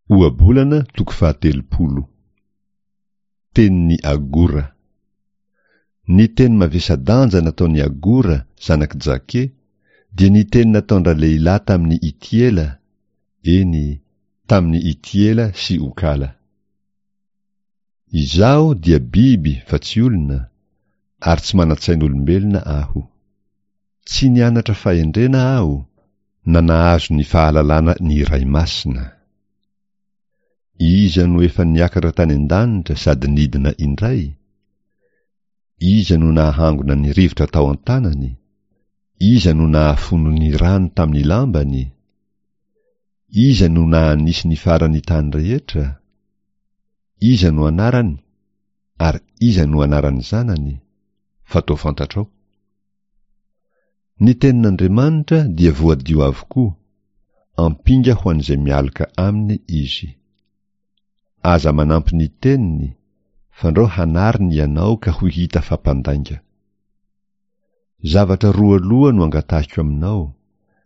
Ohabolana toko fahatelopolo. Tenin'i Agora. Ny teny mavesa-danja nataon'i Agora, zanak'i Jake, dia ny teny nataon-dralehilahy tamin'i Itiela, eny, tamin'i Itiela sy Okala. Izaho dia biby fa tsy olona, ary tsy manan-tsain'olombelona aho. Tsy nianatra fahendrena aho, na nahazo ny fahalalana ny Iray Masina. Iza no efa niakatra tany an-danitra sady nidina indray? Iza no nahangona ny rivotra tao an-tanany? Iza no nahafono ny rano tamin'ny lambany? Iza no nahanisy ny faran'ny tany rehetra? Iza no anarany ary iza no anaran'ny zanany? Fa toa fantatrao. Ny tenin'Andriamanitra dia voadio avokoa, ampinga ho an'izay mialoka aminy izy. Aza manampy ny teniny, fandrao hanariny ianao ka ho hita fa mpandainga. Zavatra roa loha no angatahiko aminao,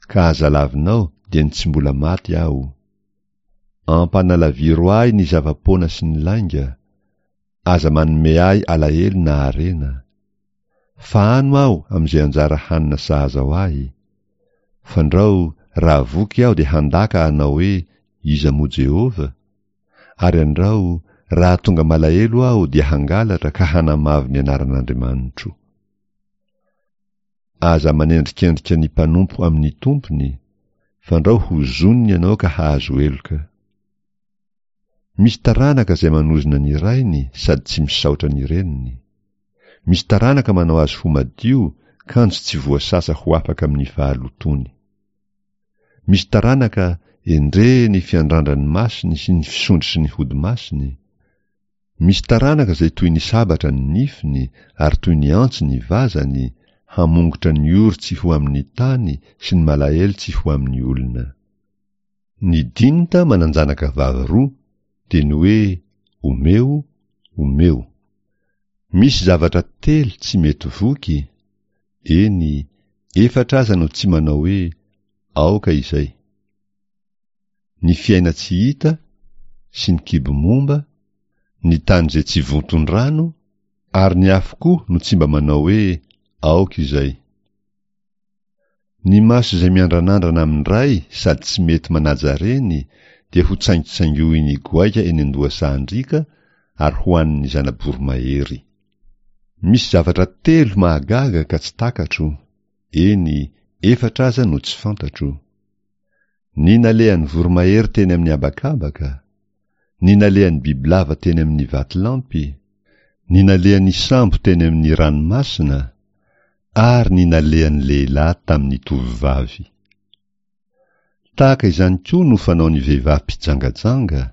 ka aza lavinao dia ny tsy mbola maty aho. Ampanalaviro ahy ny zava-poana sy ny lainga, aza manome ahy alahelo na harena. Fahano aho amin'izay anjara hanina sahaza ho ahy. Fandrao, raha voky aho dia handaka hanao hoe, Iza moa Jehovah? Ary andrao, raha tonga malahelo aho dia hangalatra ka hanamavo ny anaran'Andriamanitro. Aza manendrikendrika ny mpanompo amin'ny tompony, fandrao hozoniny ianao ka hahazo heloka. Misy taranaka izay manozona ny rainy sady tsy misaotra ny reniny. Misy taranaka manao azy ho madio kanjo tsy voasasa ho afaka amin'ny fahalotoany. Misy taranaka endre ny fiandrandran'ny masony sy ny fisondrotry ny hodi-masony. Misy taranaka izay toy ny sabatra ny nifiny ary toy ny antsy ny vazany, hamongotra ny ory tsy ho amin'ny tany sy ny malahelo tsy ho amin'ny olona. Ny dinta manan-janaka vavy roa dia ny hoe omeo, omeo. Misy zavatra telo tsy mety voky, eny, efatra aza no tsy manao hoe aoka izay. Ny fiaina-tsy hita sy ny kibo momba, ny tany izay tsy vonton-drano, ary ny afo koa no tsy mba manao hoe aoka izay. Ny maso izay miandranandrana amin'ny ray sady tsy mety manaja reny dia ho tsaingotsaingohin'ny goaika eny an-dohasahan-driaka ary hohanin'ny zana-boromahery. Misy zavatra telo mahagaga ka tsy takatro, eny, efatra aza no tsy fantatro. Ny nalehan'ny voromahery teny amin'ny habakabaka, ny nalehan'ny bibilava teny amin'ny vatolampy, ny nalehan'ny sambo teny amin'ny ranomasina, ary ny nalehan'ny lehilahy tamin'ny tovovavy. Tahaka izany koa no fanaon'ny vehivavy mpijangajanga,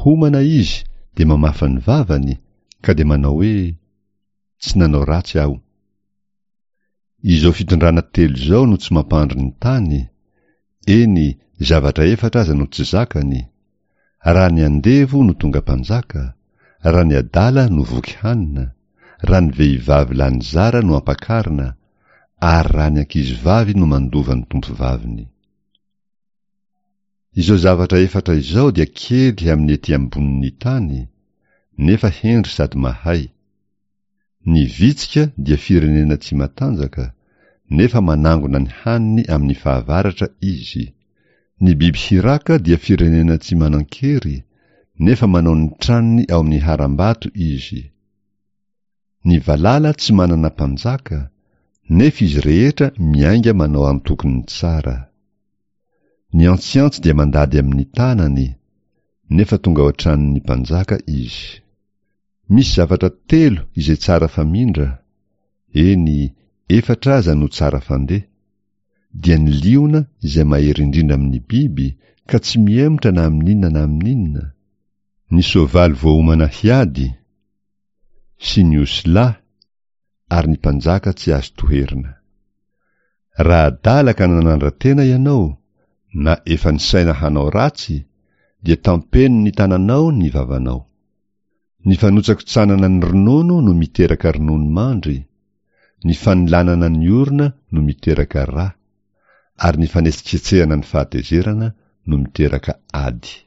homana izy dia mamafa ny vavany ka dia manao hoe, Tsy nanao ratsy aho. Izao fitondrana telo izao no tsy mampandry ny tany, eny, zavatra efatra aza no tsy zakany, raha ny andevo no tonga mpanjaka, raha ny adala no voky hanina, raha ny vehivavy lany zara no ampakarina, ary raha ny ankizivavy no mandova ny tompovaviny. Izao zavatra efatra izao dia kely amin'ny ety ambonin'ny tany, nefa hendry sady mahay. Ny vitsika dia firenena tsy matanjaka, nefa manangona ny haniny amin'ny fahavaratra izy. Ny biby hiraka dia firenena tsy manan-kery, nefa manao ny tranony ao amin'ny harambato izy. Ny valala tsy manana mpanjaka, nefa izy rehetra miainga manao antokony tsara. Ny antsiantsy dia mandady amin'ny tanany, nefa tonga ao an-tranon'ny mpanjaka izy. Misy zavatra telo izay tsara famindra, eny, efatra aza no tsara fandeha, dia ny liona izay mahery indrindra amin'ny biby ka tsy mihemotra na amin'inona na amin'inona, ny soavaly voaomana hiady, sy ny osilahy ary ny mpanjaka tsy azo toherina. Raha adala ka nanandra-tena ianao, na efa nisaina hanao ratsy, dia tampeno ny tananao ny vavanao. Ny fanotsakotsanana ny ronono no miteraka ronono mandry, ny fanolanana ny orona no miteraka ra, ary ny fanetsiketsehana ny fahatezerana no miteraka ady.